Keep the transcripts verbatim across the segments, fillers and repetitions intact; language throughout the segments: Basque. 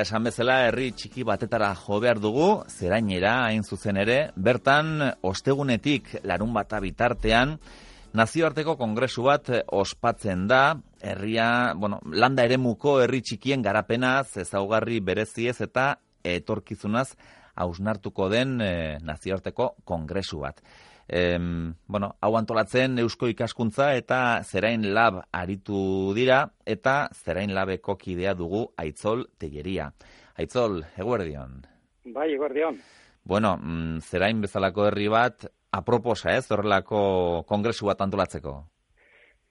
Esan bezala, herri txiki batetara jo behar dugu, zerainera hain zuzen ere, bertan ostegunetik larun bata bitartean, nazioarteko kongresu bat ospatzen da, herria, bueno, landa eremuko herri txikien garapenaz, ezaugarri bereziez eta etorkizunaz hausnartuko den e, nazioarteko kongresu bat. E, bueno, hau antolatzen Eusko Ikaskuntza eta Zerain Lab aritu dira, eta Zerain Labeko kidea dugu Aitzol Telleria. Aitzol, eguerdion. Bai, eguerdion. Bueno, Zerain bezalako herri bat, aproposa ez, horrelako kongresu bat antolatzeko?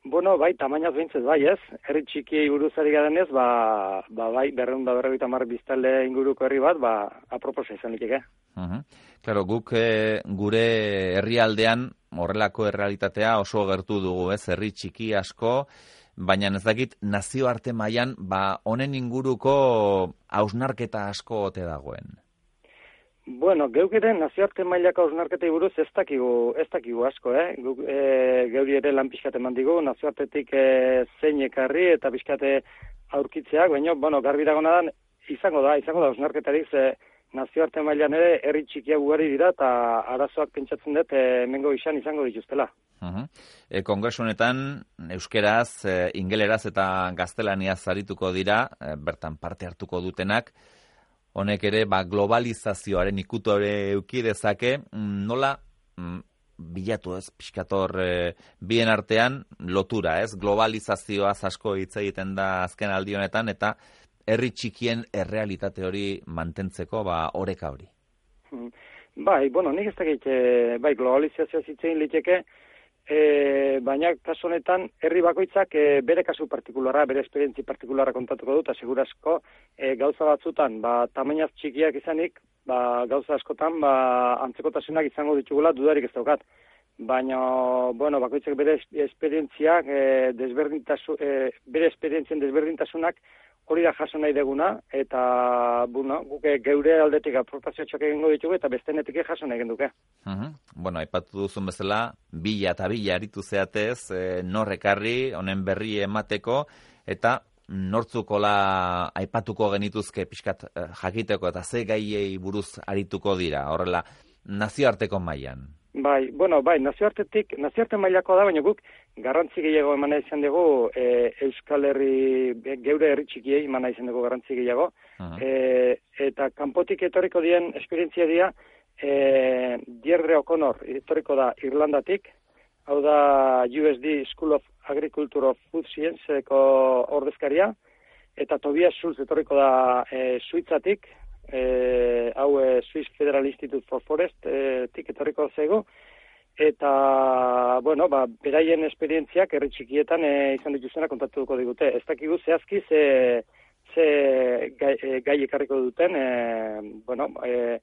Bueno, bai, tamainaz behintzez bai ez, herri txikiei buruz ari garen ez, ba, ba bai, berreun da berreun tamar biztale inguruko herri bat, ba, aproposa izan liteke. Uh-huh. Claro, guk e, gure herrialdean horrelako errealitatea oso gertu dugu, ez, herri txiki asko, baina ez dakit nazioarte mailan ba honen inguruko hausnarketa asko ote dagoen. Bueno, geuk ere nazioarte mailako hausnarketei buruz ez dakigu, ez dakigu asko, eh? Guk, e, geuri ere lan pixkate eman digu, nazioartetik e, zein ekarri eta pixkate aurkitzeak, baina, bueno, garbi dagona da, izango da, izango da hausnarketarik, ze nazioarte mailan ere herri txikiak ugari dira eta arazoak pentsatzen dut e, hemengo izan izango dituztela. Uh-huh. E, Kongresu honetan euskeraz, e, ingeleraz eta gaztelaniaz arituko dira, e, bertan parte hartuko dutenak. Honek ere ba, globalizazioaren ikutore euki dezake, nola mm, bilatu ez, pixkator e, bien artean lotura, ez? Globalizazioaz asko hitz egiten da azken aldi honetan, eta herri txikien errealitate hori mantentzeko ba, oreka hori. Bai, bueno, nik ez dakit, bai, globalizazioa zitzein liteke, e, baina kasu honetan herri bakoitzak e, bere kasu partikularra, bere esperientzi partikularra kontatuko dut, asegurasko e, gauza batzutan, ba, tamainaz txikiak izanik, ba, gauza askotan, ba, antzekotasunak izango ditugula dudarik ez daukat. Baina, bueno, bakoitzak bere esperientziak, e, desberdintasu, e, bere esperientzien desberdintasunak hori da jaso nahi deguna, eta, bueno, guke geure aldetik aportazio txok egingo ditugu, eta bestenetik jaso nahi genduke. Uh-huh. Bueno, aipatu duzun bezala, bila eta bila aritu zeatez, e, norrekarri, honen berri emateko, eta nortzukola aipatuko genituzke pixkat e, jakiteko, eta ze gaiei buruz arituko dira, horrela, nazioarteko mailan. Bai, bueno, bai, nazioartetik, nazioarte mailako da, baina guk garrantzi gehiago emana izan dugu e, Euskal Herri, geure herri txikiei emana izan dugu garrantzi gehiago, uh-huh. e, eta kanpotik etorriko dien esperientzia dira, e, Deirdre O'Connor etorriko da Irlandatik, hau da U S D School of Agriculture of Food Science-eko ordezkaria, eta Tobias Schulz etorriko da e, Suitzatik, E, hau e, Swiss Federal Institute for Forest e, tik etorriko zego, eta, bueno, ba, beraien esperientziak herri txikietan e, izan dituzena kontatuko digute. Ez dakigu zehazki ze, ze gai, e, gai ekarriko duten, e, bueno, e,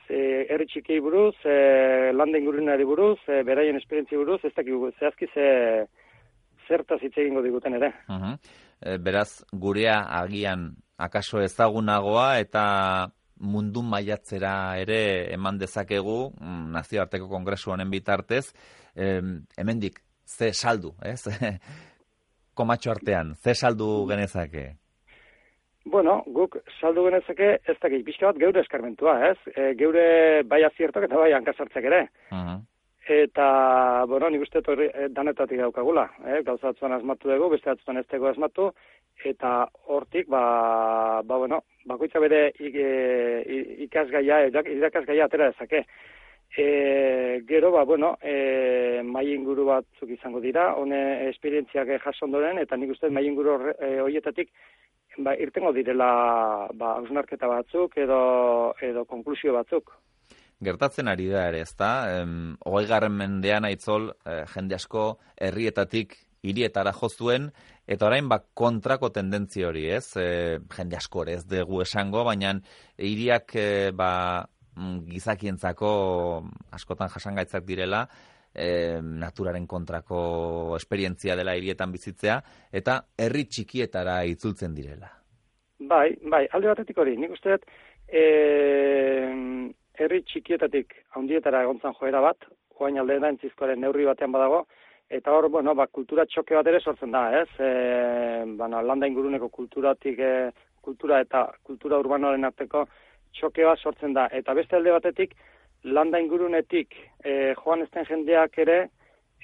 ze herri txikiei buruz, e, landa ingurunari buruz, e, beraien esperientzi buruz, ez dakigu zehazki ze zertaz hitz egingo diguten ere. Uh-huh. E, beraz, gurea agian akaso ezagunagoa eta mundu mailatzera ere eman dezakegu nazioarteko kongresu honen bitartez, e, hemendik ze saldu, ez? Komatxo artean, ze saldu genezake? Bueno, guk saldu genezake ez dakit pixka bat geure eskarmentua, ez? E, geure bai aziertok eta bai hankasartzak ere. Uh-huh. Eta, bueno, nik uste torri danetatik daukagula, eh? Gauza batzuan asmatu dugu, beste batzuan ez dugu asmatu, eta hortik, ba, ba bueno, bakoitza bere ikasgaia, irakasgaia atera dezake. E, gero, ba, bueno, e, mai inguru batzuk izango dira, hone esperientziak jaso ondoren, eta nik uste mai inguru horietatik, ba, irtengo direla, ba, hausnarketa batzuk edo, edo konklusio batzuk. Gertatzen ari da ere, ezta? Hogeigarren mendean Aitzol, eh, jende asko herrietatik hirietara jo zuen, eta orain bak kontrako tendentzia hori, ez? E, jende asko ere ez dugu esango, baina hiriak e, ba, gizakientzako askotan jasangaitzak direla, e, naturaren kontrako esperientzia dela hirietan bizitzea, eta herri txikietara itzultzen direla. Bai, bai, alde batetik hori, nik uste dut, e, herri txikietatik handietara egontzan joera bat, oain alde da entzizkoaren neurri batean badago, eta hor, bueno, ba, kultura txoke bat ere sortzen da, ez? E, bueno, landa inguruneko kulturatik, e, kultura eta kultura urbanoaren arteko txokea sortzen da. Eta beste alde batetik, landa ingurunetik e, joan ezten jendeak ere,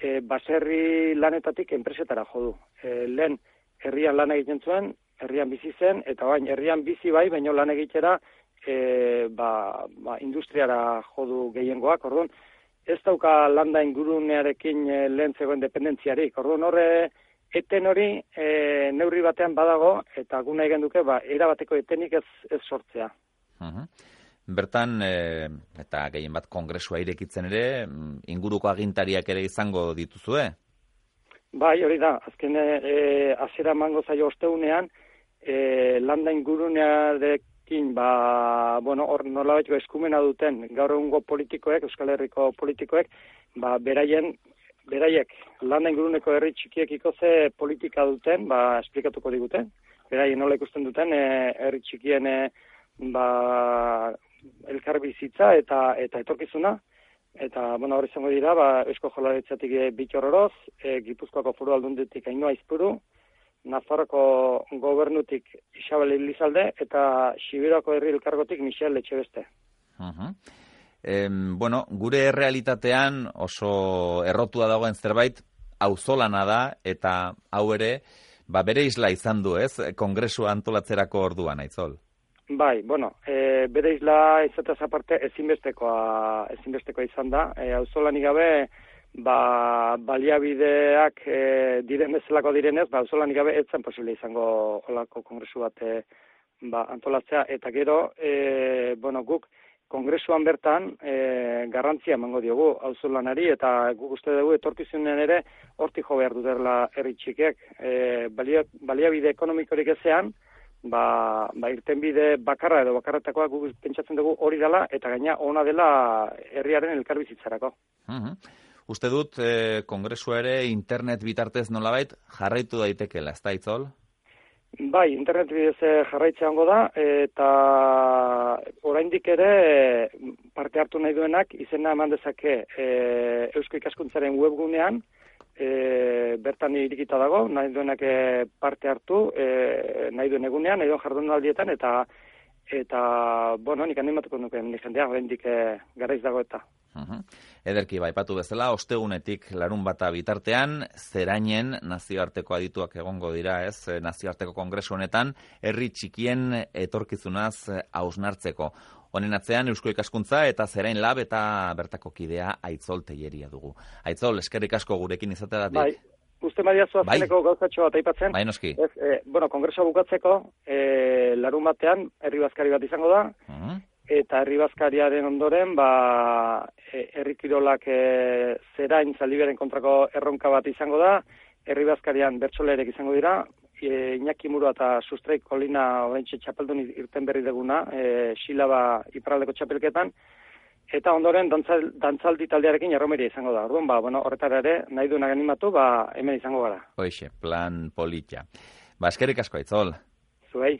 e, baserri lanetatik enpresetara jo du. E, lehen herrian lan egiten zuen, herrian bizi zen, eta bain herrian bizi bai, baina lan egitera e, ba, ba, industriara jo du gehiengoak, orduan, ez dauka landa ingurunearekin e, lehen zegoen dependentziarik. Orduan horre, eten hori e, neurri batean badago, eta guna egin duke, ba, erabateko etenik ez, ez sortzea. Uh-huh. Bertan, e, eta gehien bat kongresua irekitzen ere, inguruko agintariak ere izango dituzue? Bai, hori da, azken e, azera mango zaio osteunean, e, landa ingurunearekin, ba, bueno, hor nolabaiteko eskumena duten, gaur egungo politikoek, Euskal Herriko politikoek, ba, beraien, beraiek, landa inguruneko herri txikiekiko ze politika duten, ba, esplikatuko diguten, beraien nola ikusten duten, e, herri txikien, e, ba, elkarbizitza eta eta etorkizuna, eta, bueno, hori izango dira, ba, Eusko Jaurlaritzatik Bittor Oroz, e, Gipuzkoako Foru Aldunditik Ainhoa Aizpuru, Nafarroko gobernutik Isabel Elizalde, eta Sibiruako herri elkargotik Michel Etxebeste. Uh-huh. Eh, bueno, gure errealitatean oso errotua dagoen zerbait, auzolana da, eta hau ere, ba, bere isla izan du, ez? Kongresua antolatzerako orduan, Aitzol. Bai, bueno, e, bere isla izatez aparte ezinbestekoa, ezinbestekoa izan da. E, auzolanik gabe, ba, baliabideak e, diren bezalako direnez, ba, auzolanik gabe ez zen posible izango olako kongresu bat e, ba, antolatzea. Eta gero, e, bueno, guk kongresuan bertan e, garrantzia emango diogu auzolanari, eta guk uste dugu etorkizunen ere hortik jo behar dutela herri txikek. E, balia, baliabide ekonomikorik ezean, Ba, ba irtenbide bakarra edo bakarretakoa guk pentsatzen dugu hori dela, eta gaina ona dela herriaren elkarbizitzarako. Uh-huh. Uste dut, eh, kongresua ere internet bitartez nolabait jarraitu daitekeela, ez da, Aitzol? Bai, internet bidez jarraitzea hongo da, eta oraindik ere parte hartu nahi duenak izena eman dezake e, Eusko Ikaskuntzaren webgunean, E, bertan irikita dago, nahi duenak e, parte hartu, e, nahi duen egunean, nahi duen jardunaldietan, eta, eta bueno, nik animatuko nuken, nik jendea, bendik e, garaiz dago eta. Uh-huh. Ederki, baipatu bezala, ostegunetik larun bata bitartean, zerainen nazioarteko adituak egongo dira, ez, nazioarteko kongresu honetan, herri txikien etorkizunaz hausnartzeko. Honen atzean Eusko Ikaskuntza eta Zerain Lab eta bertako kidea Aitzol Telleria dugu. Aitzol, eskerrik asko gurekin izateagatik. Bai, uste badiazu azkeneko bai. Gauzatxo bat aipatzen. Bai, noski. Ez, e, bueno, kongresua bukatzeko, e, larun batean, herri bazkari bat izango da, uh-huh. Eta herri bazkariaren ondoren, ba, e, herri kirolak e, Zerain Zaldiberen kontrako erronka bat izango da, herri bazkarian bertsoleerek izango dira, E, Iñaki Murua eta Sustraik Kolina oraintxe txapeldun irten berri deguna, e, Silaba iparraldeko txapelketan, eta ondoren dantzal, dantzaldi taldearekin erromeria izango da. Orduan, ba, bueno, horretara ere, nahi duenak animatu, ba, hemen izango gara. Hoixe, plan polita. Ba, eskerrik asko, Aitzol. Zuei.